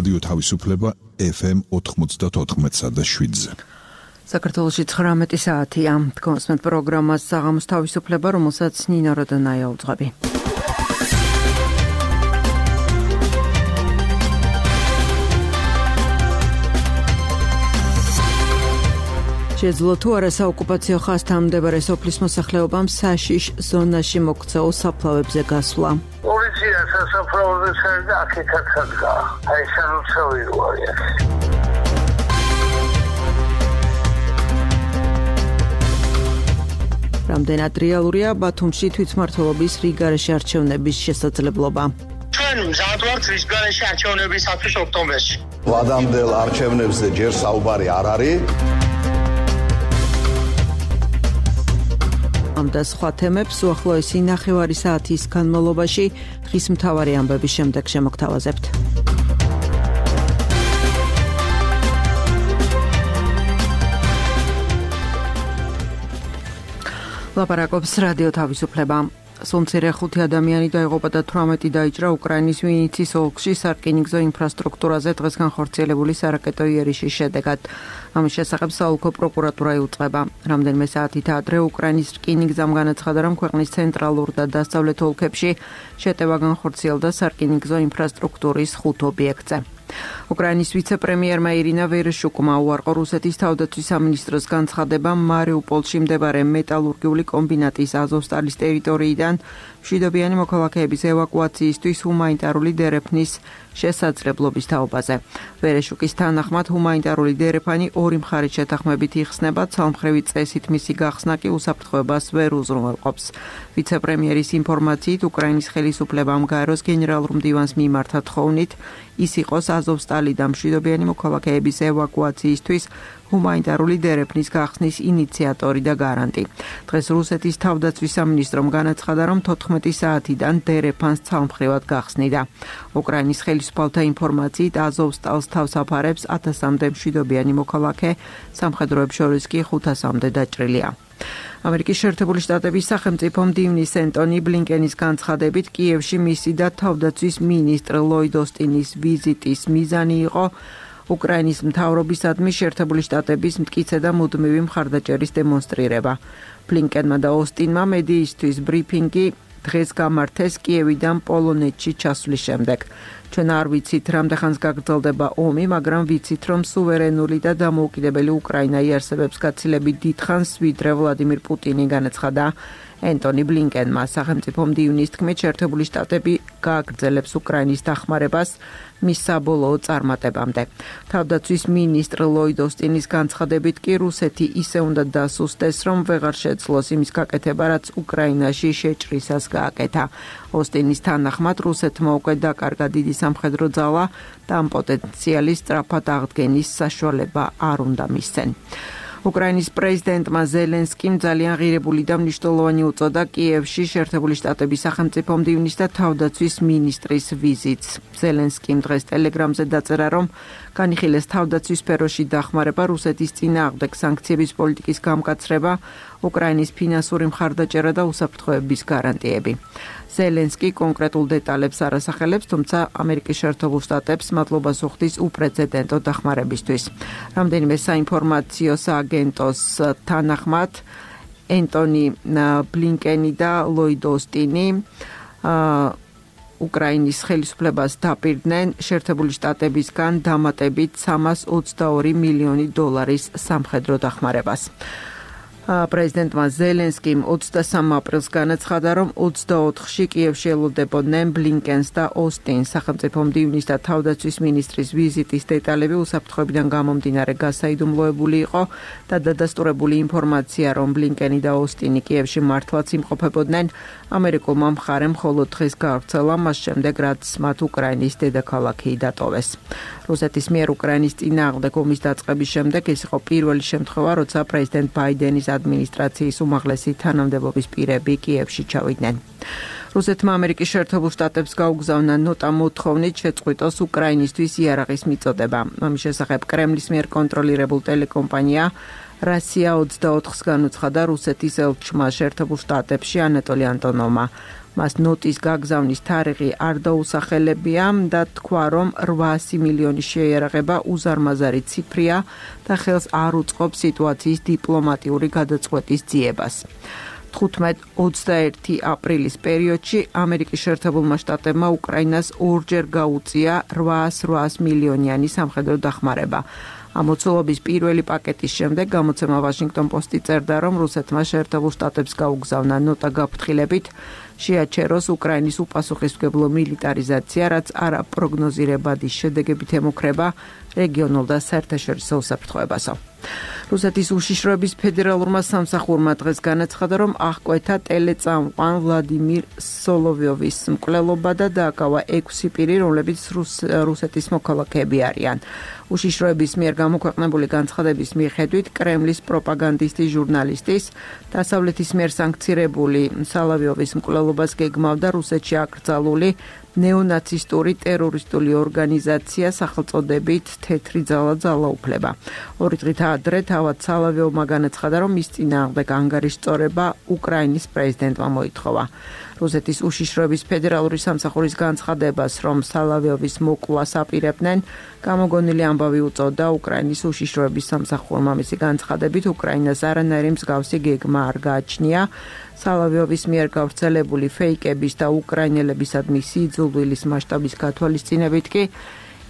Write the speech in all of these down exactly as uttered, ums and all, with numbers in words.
რადიო თავისუფლება ეფ ემ ოთხმოცდაოთხ და შვიდზე. საქართველოში ცხრამეტი საათია. თქვენს პროგრამას საღამოს თავისუფლება, რომელსაც ნინო როდონაია უძღვები. შეძლო თუ არა საოკუპაციო ხაზთან მდებარე სოფლის მოსახლეობამ საშიშ ზონაში მოქცეულ საფლავებზე გასვლა. პოლიცია სასაფლაოზე ჩაერდა აქეთაც ადგა. აი სანუცავი როა. რამდენად რეალურია ბათუმში თვითმმართველობის რიგარეში არჩევნების შესაძლებლობა? ჩვენ მზადვართ რიგარეში არჩევნებისათვის ოქტომბერში. ვადამდელ არჩევნებზე ჯერ საუბარი არ არის. ამ და სხვა თემებს უახლოესი ნახევარი საათის განმავლობაში დღის მთავარი ამბების შემდეგ შემოგთავაზებთ. ლაპარაკობს რადიო თავისუფლება. სულ მცირე ხუთი ადამიანი დაიღუპა და თვრამეტი დაიჭრა უკრაინის ვინიცის ოლქში სარკინიგზო ინფრასტრუქტურაზე დღეს განხორციელებული სარაკეტო იერიშის შედეგად. ამის შესახებ საოლქო პროკურატურა იუწყება. რამდენიმე საათით ადრე უკრაინის რკინიგზამ განაცხადა, რომ ქვეყნის ცენტრალურ და დასავლეთ ოლქებში შეტევა განხორციელდა სარკინიგზო ინფრასტრუქტურის ხუთ ობიექტზე. უკრაინის ვიცე-პრემიერმა ირინა ვერეშუკმა უარყო რუსეთის თავდაცვის სამინისტროს განცხადება მარიუპოლში მდებარე მეტალურგიული კომბინატის აზოვსტალის ტერიტორიიდან მშვიდობიანი მოქალაქეების ევაკუაციისთვის ჰუმანიტარული დერეფნის შესაძლებლობის თაობაზე. ვერეშუკის თანახმად ჰუმანიტარული დერეფანი ორი მხარის შეთანხმებით იხსნება, ცალმხრივი წესით მისი გახსნა კი უსაფრთხოებას ვერ უზრუნველყოფს. ვიცე-პრემიერის ინფორმაციით, უკრაინის ხელისუფლებამ გაეროს გენერალურ მდივანს მიმართა თხოვნით, ის იყოს აზოვსტალი და მშვიდობიანი მოქალაქეების ევაკუაციისთვის ჰუმანიტარული დერეფნის გახსნის ინიციატორი და გარანტი. დღეს რუსეთის თავდაცვის სამინისტრომ განაცხადა, რომ თოთხმეტი საათიდან დერეფანს ცალმხრივად გახსნიდა. უკრაინის ხელისუფალთა ინფორმაციით, აზოვსტალს თავს აფარებს ათასამდე მშვიდობიანი მოქალაქე, სამხედროებს შორის კი ხუთასამდე დაჭრილია. ამერიკის შეერთებული შტატების სახელმწიფო მდივნის ენტონი ბლინკენის განცხადებით, კიევში მისი და თავდაცვის მინისტრ ლოიდ ოსტინის ვიზიტის მიზანი იყო უკრაინის მთავრობისადმი შეერთებული შტატების მტკიცე და მუდმივი მხარდაჭერის დემონსტრირება. ბლინკენმა და ოსტინმა მედიისთვის ბრიფინგი დღეს გამართეს კიევიდან პოლონეთში ჩასვლის შემდეგ. ჩვენ არ ვიცით, რამდენ ხანს გაგრძელდება ომი, მაგრამ ვიცით, რომ სუვერენული და დამოუკიდებელი უკრაინა იარსებებს გაცილებით დიდხანს, ვიდრე ვლადიმირ პუტინი, განაცხადა ენტონი ბლინკენმა. სახელმწიფო მდივნის თქმით, შეერთებული შტატები გააგრძელებს უკრაინის დახმარებას მის საბოლოო წარმატებამდე. თავდაცვის მინისტრ ლოიდ ოსტინის განცხადებით კი რუსეთი ისე უნდა დასუსტეს, რომ ვეღარ შეძლოს იმის გაკეთება, რაც უკრაინაში შეჭრისას გააკეთა. ოსტინის თანახმად, რუსეთმა უკვე დაკარგა დიდი სამხედრო ძალა და ამ პოტენციალის სწრაფად აღდგენის საშუალება არ უნდა მისცენ. უკრაინის პრეზიდენტმა ზელენსკიმ ძალიან ღირებული და მნიშვნელოვანი უწოდა კიევში შეერთებული შტატების სახელმწიფო მდივნის და თავდაცვის მინისტრის ვიზიტს. ზელენსკიმ დღეს ტელეგრამზე დაწერა, რომ განიხილეს თავდაცვის სფეროში დახმარება, რუსეთის წინააღმდეგ სანქციების პოლიტიკის გამკაცრება, უკრაინის ფინანსური მხარდაჭერა და უსაფრთხოების გარანტიები. ზელენსკი კონკრეტულ დეტალებს არ ასახელებს, თუმცა ამერიკის შეერთებულ შტატებს მადლობას უხდის უპრეცედენტო დახმარებისთვის. რამდენიმე საინფორმაციო სააგენტოს თანახმად, ენტონი ბლინკენი და ლოიდ ოსტინი უკრაინის ხელისუფლებას დაპირდნენ შეერთებული შტატებისგან დამატებით სამას ოცდაორი მილიონი დოლარის სამხედრო დახმარებას. პრეზიდენტმა ზელენსკიმ ოცდასამ აპრილს განაცხადა, რომ ოცდაოთხში კიევში ელოდებოდნენ ბლინკენს და ოსტინს. სახელმწიფო მდივნის და თავდაცვის მინისტრის ვიზიტის დეტალები უსაფრთხოებიდან გამომდინარე გასაიდუმლოებული იყო და დადასტურებული ინფორმაცია, რომ ბლინკენი და ოსტინი კიევში მართლაც იმყოფებოდნენ, ამერიკულმა მხარემ მხოლოდ დღეს გაავრცელა, მას შემდეგ რაც მათ უკრაინის დედაქალაქი დატოვეს. რუსეთის მიერ უკრაინის წინააღმდეგ ომის დაწყების შემდეგ ეს იყო პირველი შემთხვევა, როცა პრეზიდენტ ბაიდენის ადმინისტრაციის უმაღლესი თანამდებობის პირები კიევში ჩავიდნენ. რუსეთმა ამერიკის შეერთებულ შტატებს გაუგზავნა ნოტა მოთხოვნით შეწყვიტოს უკრაინისთვის იარაღის მიწოდება. ამის შესახებ კრემლის მიერ კონტროლირებულ ტელეკომპანია რასია ოცდაოთხს განუცხადა რუსეთის ელჩმა შეერთებულ შტატებში ანატოლი ანტონოვმა. მას ნოტის გაგზავნის თარიღი არ დაუსახელებია და თქვა, რომ რვაასი მილიონის შეიარაღება უზარმაზარი ციფრია და ხელს არ უწყობს სიტუაციის დიპლომატიური გადაწყვეტის ძიებას. თხუთმეტ ოცდაერთი აპრილის პერიოდში ამერიკის შეერთებულმა შტატებმა უკრაინას ორჯერ გაუწია რვაას მილიონიანი სამხედრო დახმარება. ამოცულობის პირველი პაკეტის შემდეგ გამოცემა Washington Post-ი წერდა, რომ რუსეთმა შეერთებულ შტატებს გაუგზავნა ნოტა გაფრთხილებით შეაჩეროს უკრაინის უპასუხისმგებლო მილიტარიზაცია, რაც არაპროგნოზირებადი შედეგებით ემუქრება რეგიონულ და საერთაშორისო უსაფრთხოებასო. რუსეთის უშიშროების ფედერალურმა სამსახურმა დღეს განაცხადა, რომ აღკვეთა ტელეწამყვან ვლადიმირ სოლოვიოვის მკვლელობა და დააკავა ექვსი პირი, რომლებიც რუს, რუსეთის მოქალაქეები არიან. უშიშროების მიერ გამოქვეყნებული განცხადების მიხედვით კრემლის პროპაგანდისტის ჟურნალისტის დასავლეთის მიერ სანქცირებული სოლოვიოვის მკვლელობას გეგმავდა რუსეთში აკრძალული ნეონაცისტური ტერორისტული ორგანიზაცია სახელწოდებით თეთრი ძალა ძალაუფლება. ორი დღით ადრე თავად სოლოვიოვმა განაცხადა, რომ მის წინააღმდეგ ანგარიშწორება უკრაინის პრეზიდენტმა მოითხოვა. რუსეთის უშიშროების ფედერალური სამსახურის განცხადებას, რომ სოლოვიოვის მოკვლას აპირებდნენ, გამოგონილი ამბავი უწოდა უკრაინის უშიშროების სამსახურმა. მისი განცხადებით, უკრაინას არანაირი მსგავსი გეგმა არ გააჩნია. სოლოვიოვის მიერ გავრცელებული ფეიკების და უკრაინელებისადმი სიძულვილის მასშტაბის გათვალისწინებით კი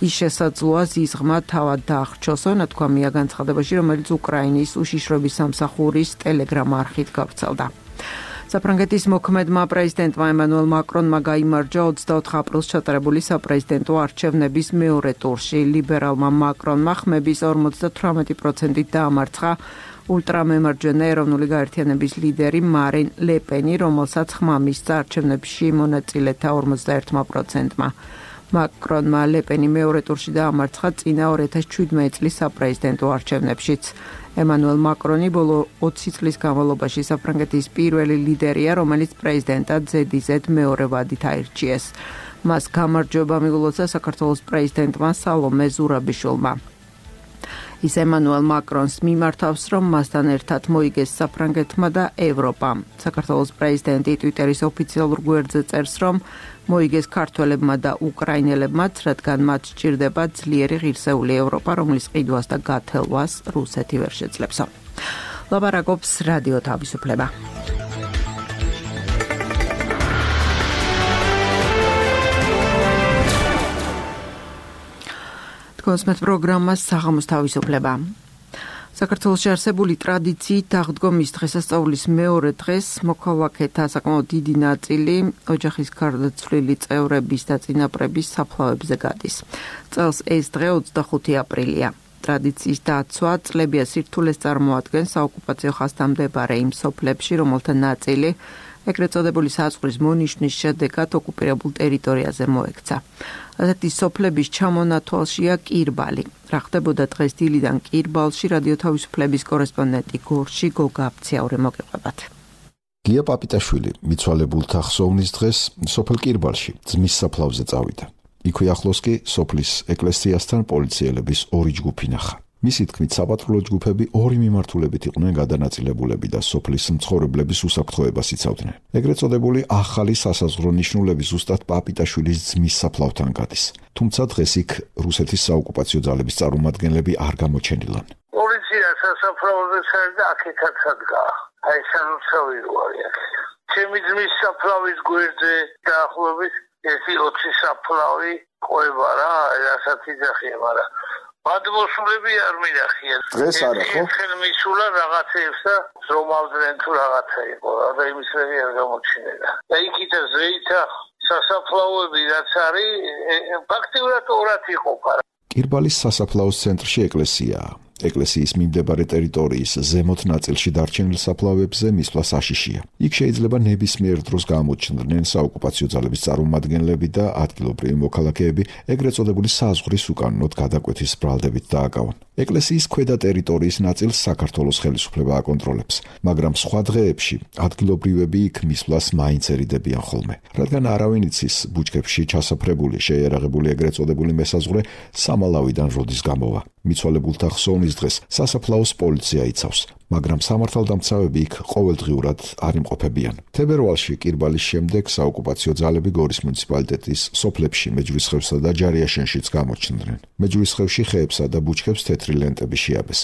ის შესაძლოა ზიზღმა თავად დაახრჩოსო, ნათქვამია განცხადებაში, რომელიც უკრაინის უშიშროების სამსახურის ტელეგრამ არხით გავრცელდა. საფრანგეთის მოქმედმა პრეზიდენტმა ემანუელ მაკრონმა გაიმარჯვა ოცდაოთხ აპრილს ჩატარებული საპრეზიდენტო არჩევნების მეორე ტურში. ლიბერალმა მაკრონმა ხმების ორმოცდათვრამეტი პროცენტით დაამარცხა ულტრამემარჯვენე ეროვნული გაერთიანების ლიდერი მარინ ლე პენი, რომელსაც ხმა მისცა არჩევნებში მონაწილეთა ორმოცდაერთმა პროცენტმა. მაკრონმა ლე პენი მეორე ტურში დაამარცხა წინა ორი ათას შვიდმეტი წლის საპრეზიდენტო არჩევნებშიც. ემანუელ მაკრონი ბოლო ოცი წლის განმავლობაში საფრანგეთის პირველი ლიდერია, რომელიც პრეზიდენტად ზედიზედ მეორე ვადით აირჩიეს. მას გამარჯვება მიულოცა საქართველოს პრეზიდენტმა სალომე ზურაბიშვილმა. ის ემანუელ მაკრონს მიმართავს, რომ მასთან ერთად მოიგეს საფრანგეთმა და ევროპამ. საქართველოს პრეზიდენტი ტვიტერის ოფიციალურ გვერდზე წერს, რომ მოიგეს ქართველებმა და უკრაინელებმაც, რადგან მათ სჭირდება ძლიერი ღირსეული ევროპა, რომლის ყიდვას და გათელვას რუსეთი ვერ შეძლებსო. ლაპარაკობს რადიო თავისუფლება. კონსმეთ პროგრამა საღამოს თავისუფლება. საქართველოში არსებული ტრადიციით აღდგომის დღესასწაულის მეორე დღეს მოქალაქეთა საკმაოდ დიდი ნაწილი ოჯახის გარდაცვლილი წევრების და წინაპრების საფლავებზე გადის. წელს ეს დღე ოცდახუთი აპრილია. ტრადიციის დაცვა წლებია სირთულეს წარმოადგენს საოკუპაციო ხაზთან მდებარე იმ სოფლებში, რომელთა ნაწილი ეგრეთ წოდებული საზღვრის მონიშნის შედეგად ოკუპირებულ ტერიტორიაზე მოექცა. ასეთი სოფლების ჩამონათვალშია კირბალი. რა ხდებოდა დღეს დილიდან კირბალში, რადიო თავისუფლების კორესპონდენტი გორში გოგა აფციაური მოგიყვებათ. გია პაპიტაშვილი მიცვალებულთა ხსოვნის დღეს სოფელ კირბალში ძმის საფლავზე წავიდა. იქვე ახლოს კი სოფლის ეკლესიასთან პოლიციელების ორი ჯგუფი ნახა. მისი თქმით, საპატრულო ჯგუფები ორი მიმართულებით იყვნენ გადანაწილებულები და სოფლის მცხოვრებლების უსაფრთხოებას იცავდნენ. ეგრეთ წოდებული ახალი სასაზღვრო ნიშნულები ზუსტად პაპიტაშვილის ძმის საფლავთან გადის. თუმცა დღეს იქ რუსეთის საოკუპაციო ძალების წარმომადგენლები არ გამოჩენილან. პოლიცია სასაფლაოზე ჩაერდა აქეთაც ადგა. აი სამუშაო იქ. ჩემი ძმის საფლავის გვერდზე დაახლოებით ერთი ოცი საფლავი ყובה რა, რასაც იძახია, მაგრამ გადმოსულები არ მინახიან. დღეს არა ხო? ხელ მისულა რაღაცეებს და ზომავდნენ თუ რაღაცა იყო და იმის რები არ გამოჩინელა. და იქით ზეითა სასაფლაოები რაც არის, ფაქტიურად ორად იყოფა. კირბალის სასაფლაოს ცენტრში ეკლესიაა. ეკლესიის მიმდებარე ტერიტორიის ზემოთ ნაწილში დარჩენილ საფლავებზე მისვლა საშიშია. იქ შეიძლება ნებისმიერ დროს გამოჩნდნენ საოკუპაციო ძალების წარმომადგენლები და ადგილობრივი მოქალაქეები ეგრეთ წოდებული საზღვრის უკანონოდ გადაკვეთის ბრალდებით დააკავონ. ეკლესიის ქვედა ტერიტორიის ნაწილს საქართველოს ხელისუფლება აკონტროლებს, მაგრამ სხვა დღეებში ადგილობრივები იქ მისვლას მაინც ერიდებიან ხოლმე. რადგან არავინ იცის ბუჩქებში ჩასაფრებული შეიარაღებული ეგრეთ წოდებული მესაზღვრე სამალავიდან როდის გამოვა. მიცვალებულთა ხსოვნის დღეს სასაფლაოს პოლიცია იცავს, მაგრამ სამართალდამცავები იქ ყოველდღიურად არ იმყოფებიან. თებერვალში კირბალის შემდეგ საოკუპაციო ძალები გორის მუნიციპალიტეტის სოფლებში მეჯვრისხევსა და ჯარიაშენშიც გამოჩნდნენ. მეჯვრისხევში ხეებსა და ბუჩქებს თეთრი ლენტები შეაბეს.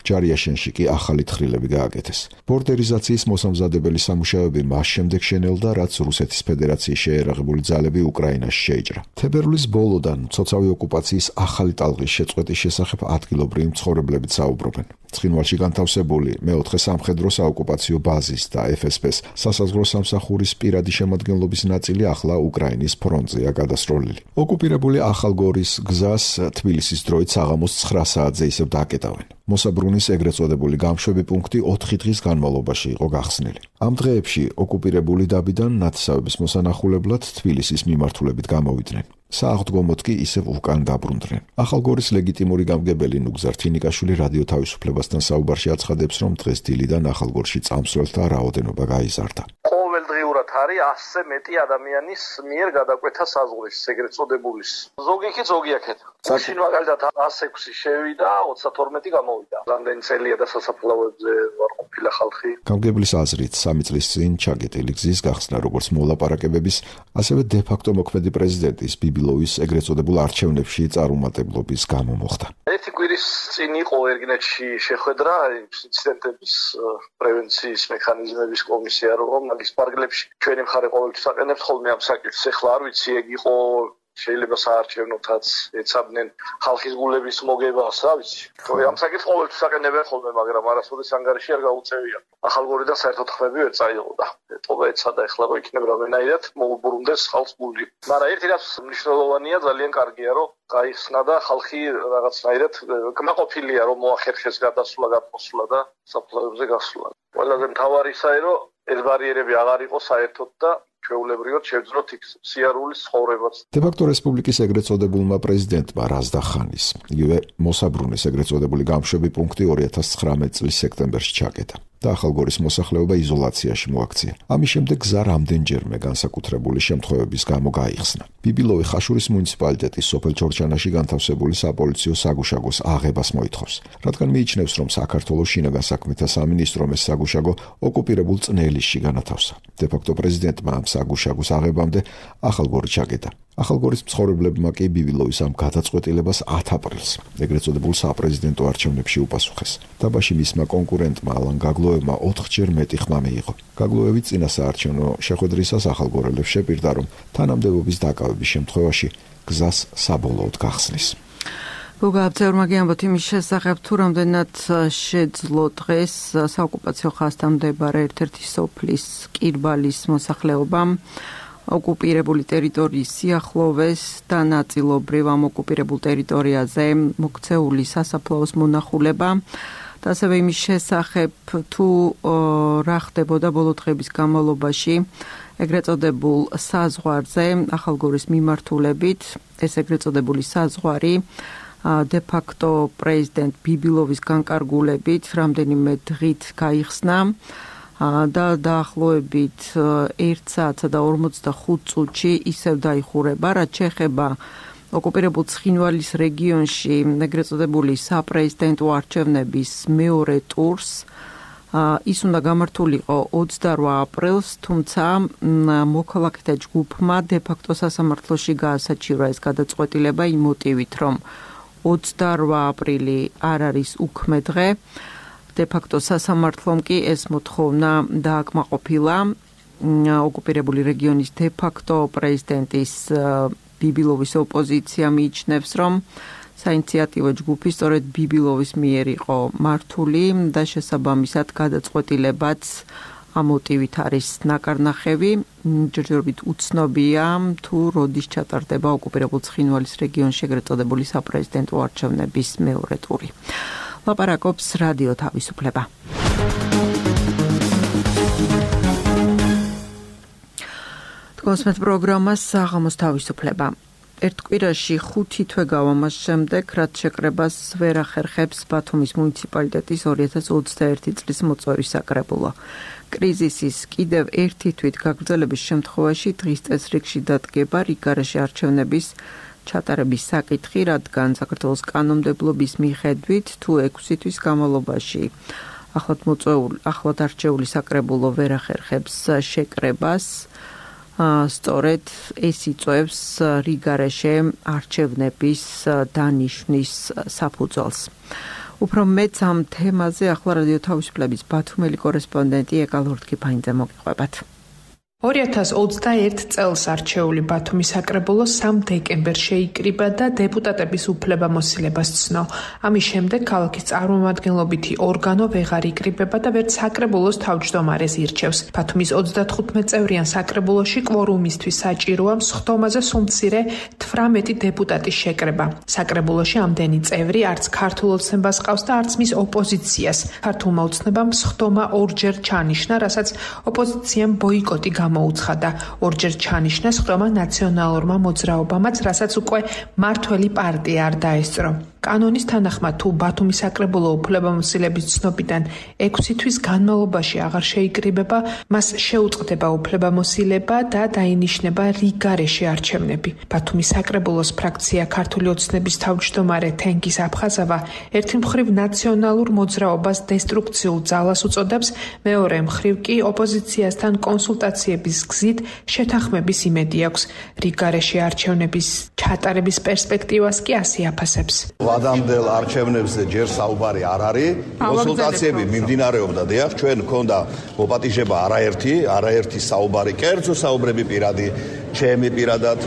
ჯარიაშენში კი ახალი თხრილები გააკეთეს. ბორდერიზაციის მოსამზადებელი სამუშაოები მას შემდეგ შენელდა, რაც რუსეთის ფედერაციის შეერაღებული ძალები უკრაინაში შეიჭრა. თებერვლის ბოლოდან მცოცავი ოკუპაციის ახალი ტალღის შეწყვეტის შესახებ ადგილობრივი მცხოვრებლები საუბრობენ. ცხინვალში განთავსებული მეოთხე სამხედრო საოკუპაციო ბაზის და ეფ ეს პეს სასაზღვრო სამსახურის პირადი შემადგენლობის ნაწილი ახლა უკრაინის ფრონტზეა გადასროლილი. ოკუპირებული ახალგორის გზას თბილისის დროით საღამოს ცხრა საათზე ისევ დააკეტავენ. მოსაბრუნის ეგრეთ წოდებული გამშვები პუნქტი ოთხი დღის განმავლობაში იყო გახსნილი. ამ დღეებში ოკუპირებული დაბიდან ნათესავების მოსანახულებლად თბილისის მიმართულებით გამოვიდნენ. სააღდგომოდ კი ისევ უკან დაბრუნდნენ. ახალგორის ლეგიტიმური გამგებელი ნუგზარ თინიკაშვილი რადიო თავისუფლებასთან საუბარში აცხადებს, რომ დღეს დილიდან ახალგორში წამსვლელთა რაოდენობა გაიზარდა. ყოველდღიურად არის ასზე მეტი ადამიანის მიერ გადაკვეთა საზღვრის ეგრეთ წოდებულის. ზოგი კი ზოგი აქეთ. მაშინ მაგალითად ას ექვსი შევიდა, ოცდათორმეტი გამოვიდა. რამდენი წელია და სასაფლაოებზე ვარ ყოფილი ხალხი. გამგებლის აზრით, სამი წლის წინ ჩაგეტილი გზის გახსნა როგორც მოლაპარაკებების, ასევე დე-ფაქტო მოქმედი პრეზიდენტის ბიბილოვის ეგრეთ წოდებულ არჩევნებში წარუმატებლობის გამო მოხდა. ერთი კვირის წინ იყო ერგინეთში შეხვედრა ინციდენტების პრევენციის მექანიზმების კომისია, რომ მაგის პარკლებში ჩვენი მხარე ყოველთვის აყენებს ხოლმე ამ საკითხს. ეხლა არ ვიცი, ეგ იყო შეიძლება საარჩევნოთაც ეცადნენ ხალხის გულების მოგებას, რა ვიცი. ამ საკითხს ყოველთვის აყენებენ ხოლმე, მაგრამ არასოდეს ანგარიში არ გაუწევია. ახალგორიდან საერთოდ ხმები ვერ წაიღოდა. ეტყობა ეცადა, ეხლა რო იქნება რამენაირად მოუბრუნდეს ხალხს გული. მაგრამ ერთი რაც მნიშვნელოვანია, ძალიან კარგია, რომ გაიხსნა და ხალხი რაღაცნაირად კმაყოფილია, რომ მოახერხეს გადასვლა, გაფოსვლა და საფლავებზე გასვლა. ყველაზე მთავარი ისაა, რომ ეს ბარიერები აღარ იყოს საერთოდ და ჩვეულებრივად შევძროთ იქ სიარულის ცხოვრებას. დე-ფაქტო რესპუბლიკის ეგრეთ წოდებულმა პრეზიდენტმა რაზდახანის, იგივე მოსაბრუნის ეგრეთ წოდებული გამშვები პუნქტი ორი ათას ცხრამეტი წლის სექტემბერში ჩაკეტა და ახალგორის მოსახლეობა იზოლაციაში მოაქცია. ამის შემდეგ გზა რამდენჯერმე განსაკუთრებული შემთხვევების გამო გაიხსნა. ბიბილოვი ხაშურის მუნიციპალიტეტის სოფელ ჩორჩანაში განთავსებული საპოლიციო საგუშაგოს აღებას მოითხოვს, რადგან მიიჩნევს, რომ საქართველოს შინაგან საქმეთა სამინისტრომ ეს საგუშაგო ოკუპირებულ წნელისში განათავსა. დე-ფაქტო პრეზიდენტმა ამ საგუშაგოს აღებამდე ახალგორი ჩაკეტა. ახალგორის მცხოვრებლებმა კი ბიბილოვის ამ გადაწყვეტილებას ათ აპრილს ეგრეთ წოდებულ საპრეზიდენტო არჩევნებში უპასუხეს. დაბაში მისმა კონკურენტმა ალან გაგლოევმა ოთხჯერ მეტი ხმა მიიღო. გაგლოევი წინა საარჩევნო შეხვედრისას ახალგორელებს შეპირდა, რომ თანამდებობის დაკავების შემთხვევაში გზას საბოლოოდ გახსნის. გოგა აბძევრმაგი ამბობთ იმის შესახებ, თუ რამდენად შეძლო დღეს საოკუპაციო ხაზთან მდებარე ერთ-ერთი სოფლის კირბალის მოსახლეობამ ოკუპირებული ტერიტორიის სიახლოვეს და ნაწილობრივ ამ ოკუპირებულ ტერიტორიაზე მოქცეული სასაფლაოს მონახულება და ასევე იმის შესახებ, თუ რა ხდებოდა ბოლო დღების განმავლობაში ეგრეთ წოდებულ საზღვარზე ახალგორის მიმართულებით. ეს ეგრეთ წოდებული საზღვარი დე-ფაქტო პრეზიდენტ ბიბილოვის განკარგულებით რამდენიმე დღით გაიხსნა და დაახლოებით ერთ საათსა და ორმოცდახუთ წუთში ისევ დაიხურება, რაც შეეხება ოკუპირებულ ცხინვალის რეგიონში ეგრეთ წოდებული საპრეზიდენტო არჩევნების მეორე ტურს. ის უნდა გამართულიყო ოცდარვა აპრილს, თუმცა მოქალაქეთა ჯგუფმა დე-ფაქტო სასამართლოში გაასაჩივრა ეს გადაწყვეტილება იმ მოტივით, რომ ოცდარვა აპრილი არ არის უქმე დღე. დე-ფაქტო სასამართლომ კი ეს მოთხოვნა დააკმაყოფილა ოკუპირებული რეგიონის დე-ფაქტო პრეზიდენტის ბიბილოვის ოპოზიცია მიიჩნევს, რომ საინიციატივო ჯგუფი სწორედ ბიბილოვის მიერ იყო მართული და შესაბამისად გადაწყვეტილებაც ამ მოტივით არის ნაკარნახევი. ჯერჯერობით უცნობია, თუ როდის ჩატარდება ოკუპირებულ ცხინვალის რეგიონში ეგრეთ წოდებული საპრეზიდენტო არჩევნების მეორე ტური. ლაპარაკობს რადიო თავისუფლება. თქვენს პროგრამას საღამოს თავისუფლება. ერთ კვირაში ხუთი თვე გავა მას შემდეგ, რაც შეკრებას ვერ ახერხებს ბათუმის მუნიციპალიტეტის ორი ათას ოცდაერთი წლის მოწვევის საკრებულო. კრიზისის კიდევ ერთი თვით გაგრძელების შემთხვევაში დღის წესრიგში დადგება რიგ გარეშე არჩევნების ჩატარების საკითხი, რადგან საქართველოს კანონმდებლობის მიხედვით თუ ექვსი თვის განმავლობაში ახლად მოწვეული, ახლად არჩეული საკრებულო ვერ ახერხებს შეკრებას, სწორედ ეს იწვევს რიგარეშე არჩევნების დანიშვნის საფუძველს. უფრო მეც ამ თემაზე ახლა რადიო თავისუფლების ბათუმელი კორესპონდენტი ეკა ლურთქიფაინძე მოგიყვებათ. ორი ათას ოცდაერთ წელს არჩეული ბათუმის საკრებულო სამ დეკემბერს შეიკრიბა და დეპუტატების უფლებამოსილებას ცნო. ამის შემდეგ ქალაქის წარმომადგენლობითი ორგანო ვეღარ იკრიბება და ვერც საკრებულოს თავმჯდომარეს ირჩევს. ბათუმის ოცდათხუთმეტ წევრიან საკრებულოში კვორუმისთვის საჭიროა სხდომაზე სულ მცირე თვრამეტი დეპუტატის შეკრება. საკრებულოში ამდენი წევრი არც ქართულ ოცნებას ყავს და არც მის ოპოზიციას. ქართულმა ოცნებამ სხდომა ორჯერ ჩანიშნა, რასაც ოპოზიციამ ბოიკოტი გამოუცხადა. ორჯერ ჩანიშნა სხდომა ნაციონალურმა მოძრაობამაც, რასაც უკვე მართველი პარტია არ დაესწრო. კანონის თანახმად, თუ ბათუმის საკრებულო უფლებამოსილების ცნობიდან ექვსი თვის განმავლობაში აღარ შეიკრიბება, მას შეუწყდება უფლებამოსილება და დაინიშნება რიგარეშე არჩევნები. ბათუმის საკრებულოს ფრაქცია ქართული ოცნების თავმჯდომარე თენგიზ აფხაზავა ერთი მხრივ ნაციონალურ მოძრაობას დესტრუქციულ ძალას უწოდებს, მეორე მხრივ კი ოპოზიციასთან კონსულტაციების გზით შეთანხმების იმედი აქვს. რიგარეშე არჩევნების ჩატარების პერსპექტივას კი ასე აფასებს. ვადამდელ არჩევნებზე ჯერ საუბარი არ არის. კონსულტაციები მიმდინარეობდა, დიახ, ჩვენ მქონდა მოპატიჟება არაერთი, არაერთი საუბარი, კერძო საუბრები პირადი, ჩემი პირადად,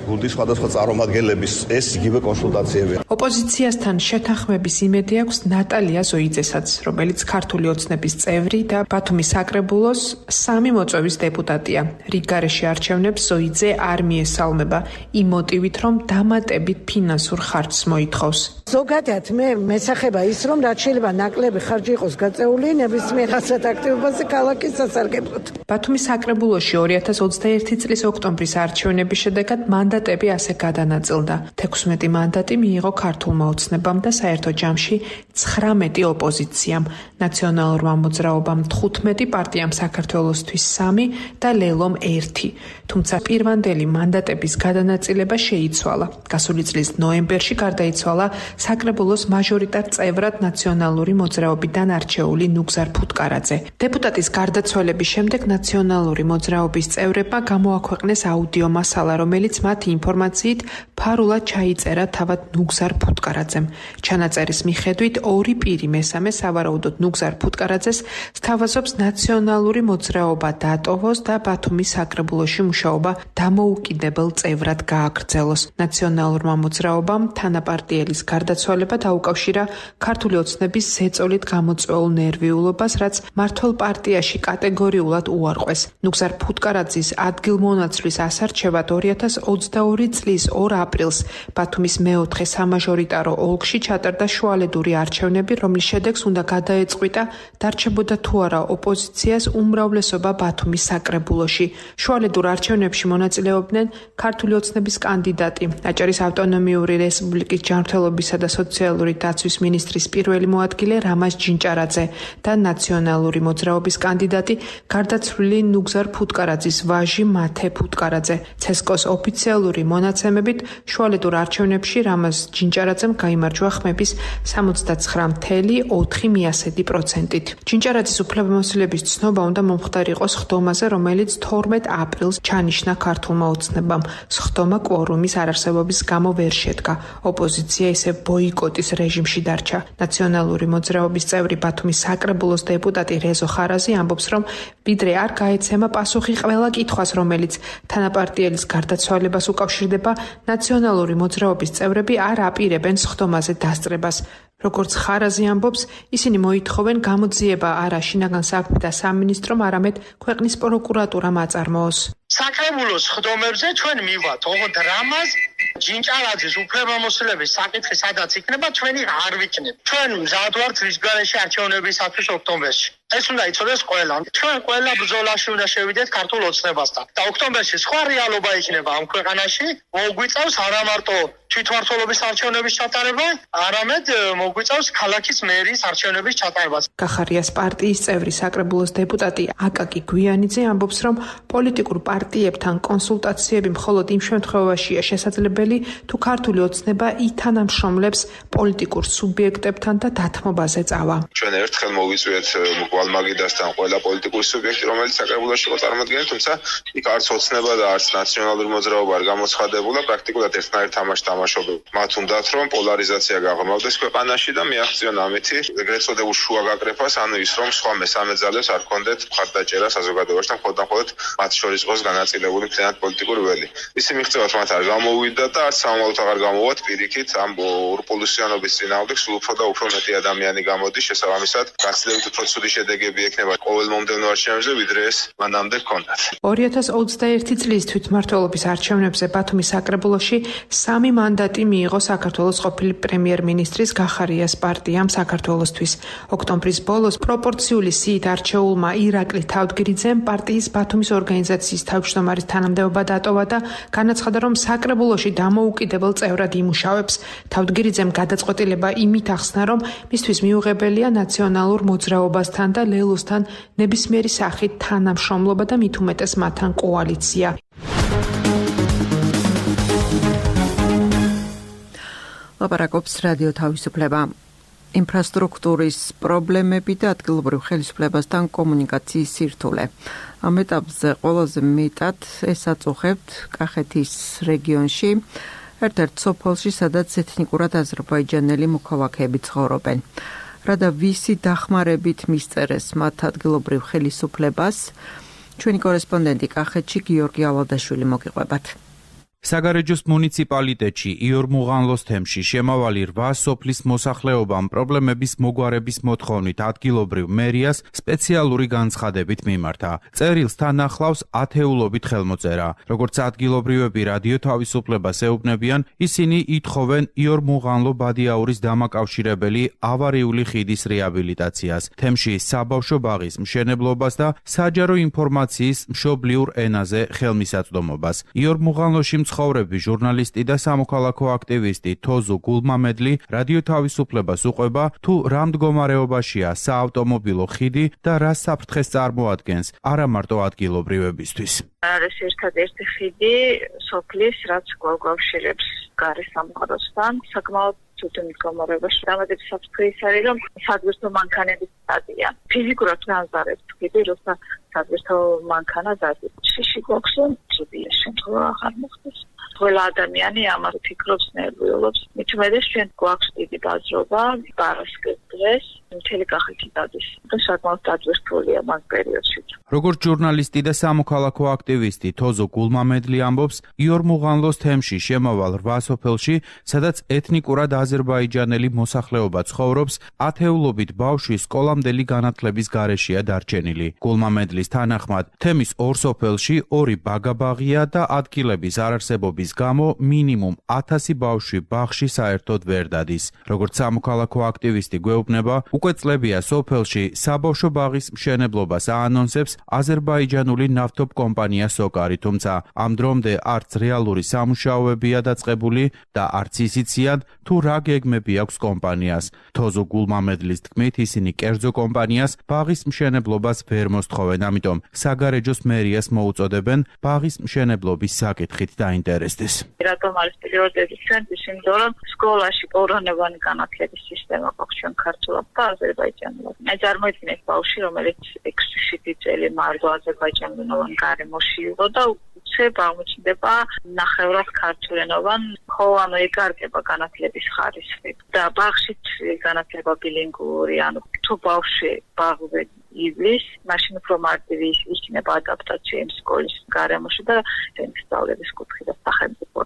გუნდის სხვადასხვა წარმომადგენლების ეს იგივე კონსულტაციები. ოპოზიციასთან შეთანხმების იმედი აქვს ნატალია ზოიძესაც, რომელიც ქართული ოცნების წევრი და ბათუმის საკრებულოს სამი მოწვევის დეპუტატია. რიგარეშე არჩევნებს ზოიძე არ მიესალმება იმ მოტივით, რომ დამატებით ფინანსურ ხარჯს მოითხოვს. ზოგადად მე მესახება ის, რომ რაც შეიძლება ნაკლები ხარჯი იყოს გაწეული ნებისმიერ ასეთ აქტივობაზე ქალაქის სასარგებლოდ. ბათუმის საკრებულოში ორი ათას ოცდაერთი წლის ოქტომბრის არჩევნების შედეგად მანდატები ასე გადანაწილდა. თექვსმეტი მანდატი მიიღო ქართულმა ოცნებამ და საერთო ჯამში ცხრამეტი ოპოზიციამ, ნაციონალურმა მოძრაობამ თხუთმეტი, პარტიამ საქართველოსთვის სამი და ლელომ ერთი. თუმცა პირვანდელი მანდატების გადანაწილება შეიცვალა. გასული წლის ნოემბერში გარდაიცვალა საკრებულოს მაჟორიტარ წევრად ნაციონალური მოძრაობიდან არჩეული ნუგზარ ფუტკარაძე. დეპუტატის გარდაცვალების შემდეგ ნაციონალური მოძრაობის წევრებმა გამოაქვეყნეს აუდიო მასალა, რომელიც მათი ინფორმაციით ფარულად ჩაიწერა თავად ნუგზარ ფუტკარაძემ. ჩანაწერის მიხედვით ორი პირი მესამე სავარაუდოდ ნუგზარ ფუტკარაძეს სთავაზობს ნაციონალური მოძრაობა დატოვოს და ბათუმის საკრებულოში მუშაობა დამოუკიდებელ წევრად გააგრძელოს. ნაციონალურმა მოძრაობამ თანაპარტიელის გარდაცვალება დაუკავშირა ქართული ოცნების ზეწოლით გამოწვეულ ნერვიულობას, რაც მართველ პარტიაში კატეგორიულად უარყვეს. ნუგზარ ფუტკარაძის ადგილმონაცვლის ასარჩევად ორი ათას ოცდაორი წლის ორ აპრილს ბათუმის მეოთხე სამაჟორიტარო ოლქში ჩატარდა შუალედური არჩევნები, რომლის შედეგს უნდა გადაეწყვიტა დარჩებოდა თუ არა ოპოზიციას უმრავლესობა ბათუმის საკრებულოში. შუალედურ არჩევნებში მონაწილეობდნენ ქართული ოცნების კანდიდატი, აჭარის ავტონომიური რესპუბლიკის ჯანმრთელობისა და სოციალური დაცვის მინისტრის პირველი მოადგილე რამაზ ჯინჭარაძე და ნაციონალური მოძრაობის კანდიდატი გარდაცვლილი ნუგზარ ფუტკარაძის ვაჟი მათე ფუტკარაძე. ცესკოს ოფიციალური მონაცემებით შუალედურ არჩევნებში რამაზ ჯინჭარაძემ გაიმარჯვა ხმების სამოცდაცხრა целых ოთხი პროცენტით. ჯინჭარაძის უფლებამოსილების ცნობა უნდა მომხდარიყოს სხდომაზე, რომელიც თორმეტ აპრილს ჩანიშნა ქართულმა ოცნებამ. სხდომა კვორუმის არარსებობის გამო ვერ შედგა. ოპოზიცია ისე ბოიკოტის რეჟიმში დარჩა. ნაციონალური მოძრაობის წევრი ბათუმის საკრებულოს დეპუტატი რეზო ხარაზი ამბობს, რომ ვიდრე არ გაეცემა პასუხი ყველა კითხვას, რომელიც თანაპარტიელის გარდაცვალებას უკავშირდება, ნაციონალური მოძრაობის წევრები არ აპირებენ სხდომაზე დასწრებას. როგორც ხარაზი ამბობს, ისინი მოითხოვენ გამოძიება არა შინაგან საქმეთა სამინისტრომ, არამედ ქვეყნის პროკურატურამ აწარმოოს. საკრებულოს სხდომებზე ჩვენ მივათ, ოღონდ რამაზ ჯინჭარაძის უფლებამოსილების საკითხი სადაც იქნება, ჩვენი არ ვიქნებ. ჩვენ მზად ვართ რიგარეშე არჩევნებისათვის ოქტომბერში. ეს უნდა იცოდეს ყველა. ჩვენ ყველა ბრძოლაში უნდა შევიდეთ ქართულ ოცნებასთან. და ოქტომბერში სხვა რეალობა იქნება ამ ქვეყანაში, მოგვიწევს არა მარტო თვითმმართველობის არჩევნების ჩატარება, არამედ მოგვიწევს ქალაქის მერის არჩევნების ჩატარებას. კახარიას პარტიის წევრი საკრებულოს დეპუტატი აკაკი გვიანიძე ამბობს, რომ პოლიტიკურ პარტიებთან კონსულტაციები მხოლოდ იმ შემთხვევაშია შესაძლებელი, თუ ქართული ოცნება ითანამშრომლებს პოლიტიკურ სუბიექტებთან და დათმობაზე წავა. ჩვენ ერთხელ მოვიწვიეთ გვალმაგიდასთან ყველა პოლიტიკური სუბიექტი, რომელიც საკრებულოში იყო წარმოდგენილი, თუმცა იქ არც ოცნება და არც ნაციონალური მოძრაობა არ გამოცხადებულა, პრაქტიკულად ერთნაირ თამაშს თამაშობენ. მათ უნდათ რომ პოლარიზაცია გაღრმავდეს ქვეყანაში და მიაღწიონ ამითი ეგრეთ წოდებულ შუა გაკრეფას, ანუ ის რომ სხვა მესამე ძალებს არ ქონდეთ მხარდაჭერა საზოგადოებაში და მხოლოდ მათ შორის იყოს განაწილებული მთლიანად პოლიტიკური ველი. ისი მიღწევათ მათ არ გამოვიდა და არც სამომავლოდ აღარ გამოვათ პირიქით ამ ურპულუსიანობის წინააღმდეგ სულ უფრო და უფრო მეტი ადამიანი გამოდის, შესაბამისად გაცილებით უფრო ცუდი შედეგები ექნება ყოველ მომდევნო არჩევნებზე, ვიდრე ეს მანამდე ჰქონდათ. ორი ათას ოცდაერთი წლის თვითმმართველობის არჩევნებზე ბათუმის საკრებულოში სამი მანდატი მიიღო საქართველოს ყოფილი პრემიერ-მინისტრის გახარიას პარტიამ საქართველოსთვის. ოქტომბრის ბოლოს პროპორციული სიით არჩეულმა ირაკლი თავდგირიძემ პარტიის ბათუმის ორგანიზაციის თავმჯდომარის თანამდებობა დატოვა და განაცხადა, რომ საკრებულოში დამოუკიდებელ წევრად იმუშავებს. თავდგირიძემ გადაწყვეტილება იმით ახსნა, რომ მისთვის მიუღებელია ნაციონალურ მოძრაობასთან და ლელოსთან ნებისმიერი სახით თანამშრომლობა და მით უმეტეს მათთან კოალიცია. ლაპარაკობს რადიო თავისუფლება. ინფრასტრუქტურის პრობლემები და ადგილობრივ ხელისუფლებასთან კომუნიკაციის სირთულე. ამ ეტაპზე ყველაზე მეტად ეს აწუხებთ კახეთის რეგიონში, ერთ-ერთ სოფელში, სადაც ეთნიკურად აზერბაიჯანელი მოქალაქეები ცხოვრობენ. რა და ვისი დახმარებით მისწერეს მათ ადგილობრივ ხელისუფლებას, ჩვენი კორესპონდენტი კახეთში გიორგი ალადაშვილი მოგიყვებათ. საგარეჯოს მუნიციპალიტეტში იორ მუღანლოს თემში შემავალი რვა სოფლის მოსახლეობამ პრობლემების მოგვარების მოთხოვნით ადგილობრივ მერიას სპეციალური განცხადებით მიმართა. წერილს თან ახლავს ათეულობით ხელმოწერა. როგორც ადგილობრივები რადიო თავისუფლებას ეუბნებიან, ისინი ითხოვენ იორ მუღანლო ბადიაურის დამაკავშირებელი ავარიული ხიდის რეაბილიტაციას, თემში საბავშვო ბაღის მშენებლობას და საჯარო ინფორმაციის მშობლიურ ენაზე ხელმისაწვდომობას. იორ მუღანლოში მცხოვრები ჟურნალისტი და სამოქალაქო აქტივისტი თოზუ გულმამედლი რადიო თავისუფლებას უყვება, თუ რა მდგომარეობაშია საავტომობილო ხიდი და რა საფრთხეს წარმოადგენს არა მარტო ადგილობრივებისთვის. არის ერთადერთი ხიდი სოფლის, რაც გვაგვავშირებს გარე სამყაროსთან, საკმაოდ ცუდ მდგომარეობაში. დამატებით საფრთხე ის არის, რომ საძირთო მანქანების სტადია. ფიზიკურად განზარებს ხიდი, როცა საძირთო მანქანა დადის. შიში გვაქვს, ცუდია შემთხვევა აღარ მოხდეს. ყველა ადამიანი ამას ფიქრობს, ნერვიულობს. მით უმეტეს ჩვენ გვაქვს დიდი ბაზრობა, პარასკევს დღეს მთელი კახეთი დადის და საკმაოდ დაძვირთულია მაგ პერიოდში. როგორც ჟურნალისტი და სამოქალაქო აქტივისტი თოზო გულმამედლი ამბობს, იორ მუღანლოს თემში შემავალ რვა სოფელში, სადაც ეთნიკურად აზერბაიჯანელი მოსახლეობა ცხოვრობს, ათეულობით ბავშვი სკოლამდელი განათლების გარეშეა დარჩენილი. გულმამედლის თანახმად, თემის ორ სოფელში ორი ბაგაბაღია და ადგილების არარსებობის გამო მინიმუმ ათასი ბავშვი ბაღში საერთოდ ვერ დადის. როგორც სამოქალაქო აქტივისტი გვეუბნება, უკვე წლებია სოფელში საბავშვო ბაღის მშენებლობას აანონსებს აზერბაიჯანული ნავთობ კომპანია სოკარი, თუმცა ამ დრომდე არც რეალური სამუშაოებია დაწყებული და არც ისიციან, თუ რა გეგმები აქვს კომპანიას. თოზო გულმამედლის თქმით, ისინი კერძო კომპანიას ბაღის მშენებლობას ვერ მოსთხოვენ, ამიტომ საგარეჯოს მერიას მოუწოდებენ ბაღის მშენებლობის საკითხით დაინტერესდეს. რატომ არის პრიორიტეტი ჩვენთვის? იმიტომ რომ სკოლაში ორონებანი განათლების სისტემა გვაქვს ჩვენ ქართულად და აზერბაიჯანულად. მე წარმოიდგინეთ ბავშვი, რომელიც ექვსი წელი მარდო აზერბაიჯანულენოვან გარემოში იყო და უცებ აღმოჩნდება ნახევრად ქართულენოვან, ხო ანუ ეკარგება განათლების ხარისხი და ბაღშიც განათლება ბილინგური, ანუ თუ ბავშვი ბაღზე ივლის, მაშინ უფრო მარტივი იქნება ადაპტაცია იმ სკოლის გარემოში და სწავლების კუთხე და სახელმწიფო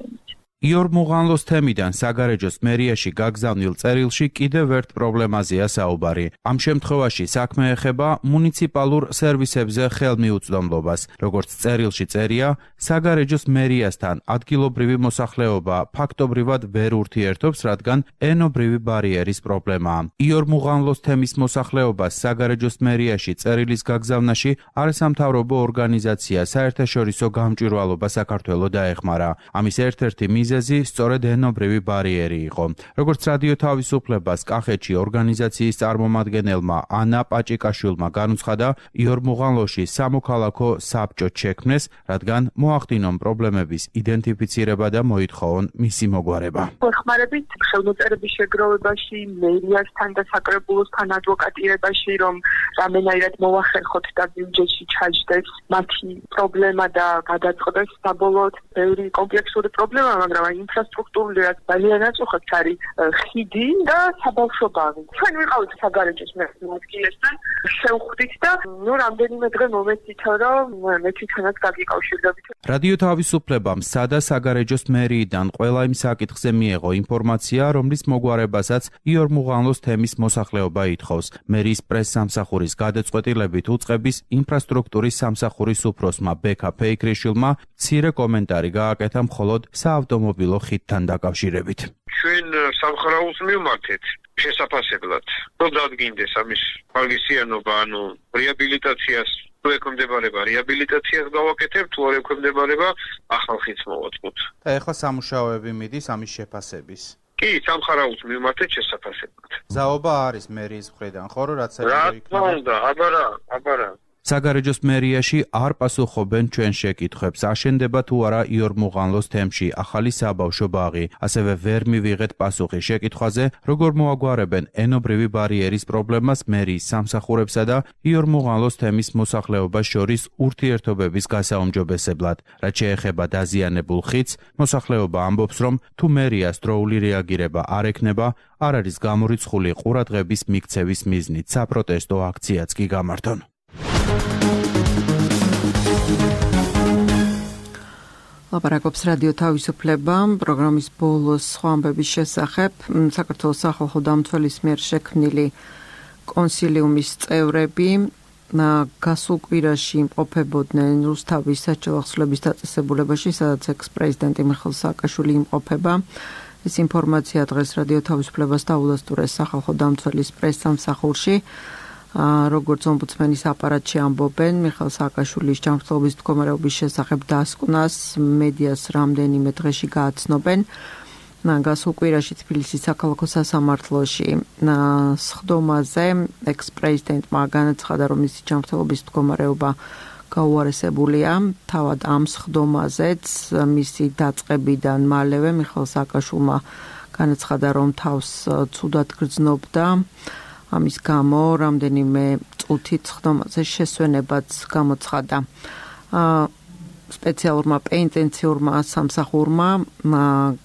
იორ მუღანლოს თემიდან საგარეჯოს მერიაში გაგზავნილ წერილში კიდევ ერთ პრობლემაზეა საუბარი. ამ შემთხვევაში საქმე ეხება მუნიციპალურ სერვისებზე ხელმიუწვდომლობას. როგორც წერილში წერია, საგარეჯოს მერიასთან ადგილობრივი მოსახლეობა ფაქტობრივად ვერ ურთიერთობს, რადგან ენობრივი ბარიერის პრობლემაა. იორ მუღანლოს თემის მოსახლეობას საგარეჯოს მერიაში წერილის გაგზავნაში არასამთავრობო ორგანიზაცია საერთაშორისო გამჭვირვალობა საქართველოს დაეხმარა. ამის ერთ-ერთი მიზეზი სწორედ ენობრივი ბარიერი იყო. როგორც რადიო თავისუფლებას კახეთში ორგანიზაციის წარმომადგენელმა ანა პაჭიკაშვილმა განუცხადა, იორ მუღანლოში სამოქალაქო საბჭო შექმნეს, რადგან მოახდინონ პრობლემების იდენტიფიცირება და მოითხოვონ მისი მოგვარება. ხმარებით ხელმოწერების შეგროვებაში, მერიასთან და საკრებულოსთან ადვოკატირებაში, რომ რამენაირად მოახერხოთ და ბიუჯეტში ჩაჯდეს მათი პრობლემა და გადაწყდეს საბოლოოდ ბევრი კომპლექსური პრობლემა, მაგრამ ინფრასტრუქტურულად ძალიან აწუხებს არის ხიდი და საბავშვო ბაღი. ჩვენ ვიყავით საგარეჯოს ადგილესთან, შევხვდით და ნუ რამდენიმე დღე მომეცით, რომ მე თვითონაც გაგიკავშირდებით. რადიო თავისუფლებამ სადა საგარეჯოს მერიიდან ყველა იმ საკითხზე მიეღო ინფორმაცია, რომლის მოგვარებასაც იორ მუღანლოს თემის მოსახლეობა ითხოვს. მერიის პრეს-სამსახურის გადაწყვეტილებით უწყების ინფრასტრუქტურის სამსახურის უფროსმა ბექა ფეიქრიშვილმა მცირე კომენტარი გააკეთა მხოლოდ საავტომობილო ხიდთან დაკავშირებით. ჩვენ სამხარაულს მივმართეთ შესაფასებლად. რო დადგინდეს ამის ხალისიანობა, ანუ რეაბილიტაციას თუ ექვემდებარება რეაბილიტაციას გავაკეთებ, თუ არ ექვემდებარება ახალ ხიდს მოვაწყოთ. და ეხლა სამუშაოები მიდის ამის შეფასების. კი, სამხარაულს მივმართეთ შესაფასებლად. ზაობა არის მერიის მხრიდან, ხო, რომ რაც რა თქმა უნდა, აბარა, აბარა. საგარეჯოს მერიაში არ პასუხობენ ჩვენ შეკითხვებს, აშენდება თუ არა იორ მუღანლოს თემში ახალი საბავშვო ბაღი. ასევე ვერ მივიღეთ პასუხი შეკითხვაზე, როგორ მოაგვარებენ ენობრივი ბარიერის პრობლემას მერიის სამსახურებსა და იორ მუღანლოს თემის მოსახლეობას შორის ურთიერთობების გასაუმჯობესებლად. რაც შეეხება დაზიანებულ ხიდს, მოსახლეობა ამბობს, რომ თუ მერიას დროული რეაგირება არ ექნება, არ არის გამორიცხული ყურადღების მიქცევის მიზნით საპროტესტო აქციაც კი გამართონ. ლაპარაკობს რადიო თავისუფლება პროგრამის ბოლოს სხვა ამბების შესახებ. საქართველოს სახალხო დამცველის მიერ შექმნილი კონსილიუმის წევრები გასულ კვირაში იმყოფებოდნენ რუსთავის საჯარო ახსნების დაწესებულებაში, სადაც ექს-პრეზიდენტი მიხეილ სააკაშვილი იმყოფება. ეს ინფორმაცია დღეს რადიო თავისუფლებას დაუდასტურეს სახალხო დამცველის პრეს-სამსახურში. როგორც ომბუდსმენის აპარატში ამბობენ, მიხეილ სააკაშვილის ჯანმრთელობის მდგომარეობის შესახებ დასკვნას მედიას რამდენიმე დღეში გააცნობენ. გასულ კვირაში თბილისის საქალაქო სასამართლოში სხდომაზე ექს-პრეზიდენტმა განაცხადა, რომ მისი ჯანმრთელობის მდგომარეობა გაუარესებულია. თავად ამ სხდომაზეც მისი დაწყებიდან მალევე მიხეილ სააკაშვილმა განაცხადა, რომ თავს ცუდად გრძნობდა. ამის გამო რამდენიმე წუთით სხდომაზე შესვენებაც გამოცხადა. სპეციალურმა პენიტენციურმა სამსახურმა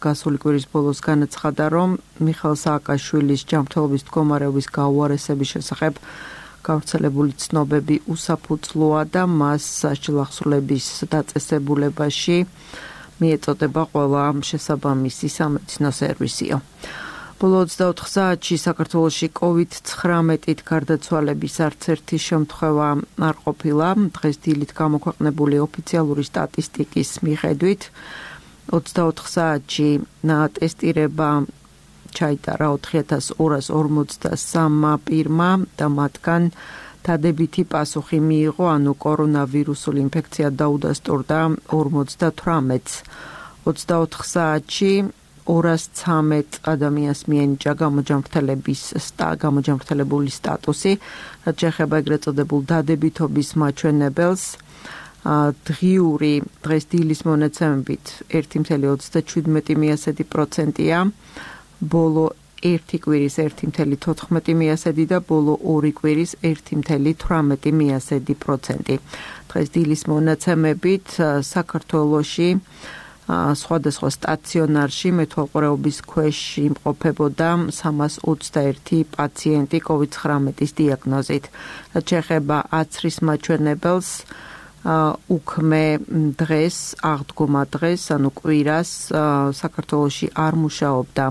გასული კვირის ბოლოს განაცხადა, რომ მიხეილ სააკაშვილის ჯანმრთელობის მდგომარეობის გაუარესების შესახებ გავრცელებული ცნობები უსაფუძვლოა და მას საჯარო ახსნების დაწესებულებაში მიეწოდება ყველა შესაბამისი სამედიცინო სერვისიო. ბოლო ოცდაოთხ საათში საქართველოში კოვიდ ცხრამეტით გარდაცვალების არც ერთი შემთხვევა არ ყოფილა. დღეს დილით გამოქვეყნებული ოფიციალური სტატისტიკის მიხედვით ოცდაოთხ საათში ტესტირება ჩაიტარა ოთხი ათას ორას ორმოცდასამ პირმა და მათგან დადებითი პასუხი მიიღო, ანუ კორონავირუსული ინფექცია დაუდასტურდა ორმოცდათვრამეტს. ოცდაოთხ საათში ორას ცამეტ ადამიანს მიენიჭა გამოჯანმრთელების გამოჯანმრთელებული სტატუსი, რაც შეეხება ეგრეთ წოდებულ დადებითობის მაჩვენებელს. დღიური დღეს დილის მონაცემებით ერთი წუთი ოცდაჩვიდმეტი პროცენტია, ბოლო ერთი კვირის ერთი წუთი თოთხმეტი და ბოლო ორი კვირის ერთი წუთი თვრამეტი პროცენტი. დღეს დილის მონაცემებით საქართველოში სხვადასხვა სტაციონარში მეთვალყურეობის ქვეშ იმყოფებოდა სამას ოცდაერთი პაციენტი კოვიდ ცხრამეტის დიაგნოზით. რაც შეეხება აცრის მაჩვენებელს, უქმე დღეს, აღდგომა დღეს, ანუ კვირას საქართველოში არ მუშაობდა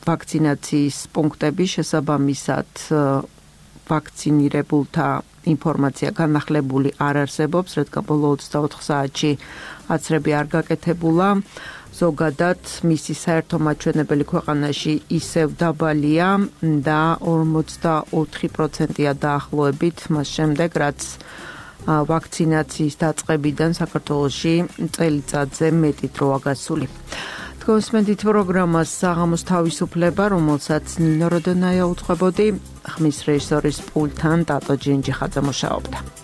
ვაქცინაციის პუნქტები, შესაბამისად ვაქცინირებულთა ინფორმაცია განახლებული არ არსებობს, რადგან ბოლო ოცდაოთხ საათში აცრები არ გაკეთებულა. ზოგადად მისი საერთო მაჩვენებელი ქვეყანაში ისევ დაბალია და ორმოცდაოთხი პროცენტია დაახლოებით მას შემდეგ, რაც ვაქცინაციის დაწყებიდან საქართველოში წელიწადზე მეტი დროა გასული. გოსმენდით პროგრამას საღამოს თავისუფლება, რომელსაც ნინო როდონაია უწყებოდი, ხმის რეჟისორის პულტთან ტატო ჯინჯიხაძე მუშაობდა.